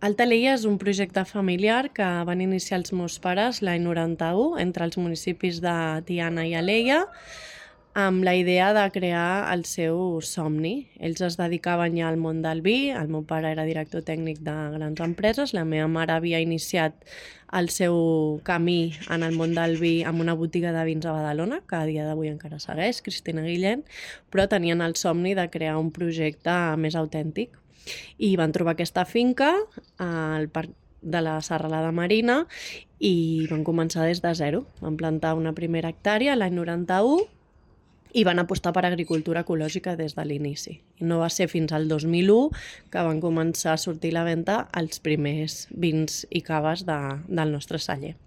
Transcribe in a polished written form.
Alta Alella és un projecte familiar que van iniciar els meus pares l'any 91 entre els municipis de Tiana i Alella amb la idea de crear el seu somni. Ells es dedicaven ja al món del vi, el meu pare era director tècnic de grans empreses, la meva mare havia iniciat el seu camí en el món del vi amb una botiga de vins a Badalona, que a dia d'avui encara segueix, Cristina Guillén, però tenien el somni de crear un projecte més autèntic. I van trobar aquesta finca al parc de la Serralada Marina i van començar des de zero. Van plantar una primera hectàrea l'any 91 i van apostar per agricultura ecològica des de l'inici. I no va ser fins al 2001 que van començar a sortir a la venda els primers vins i caves del nostre celler.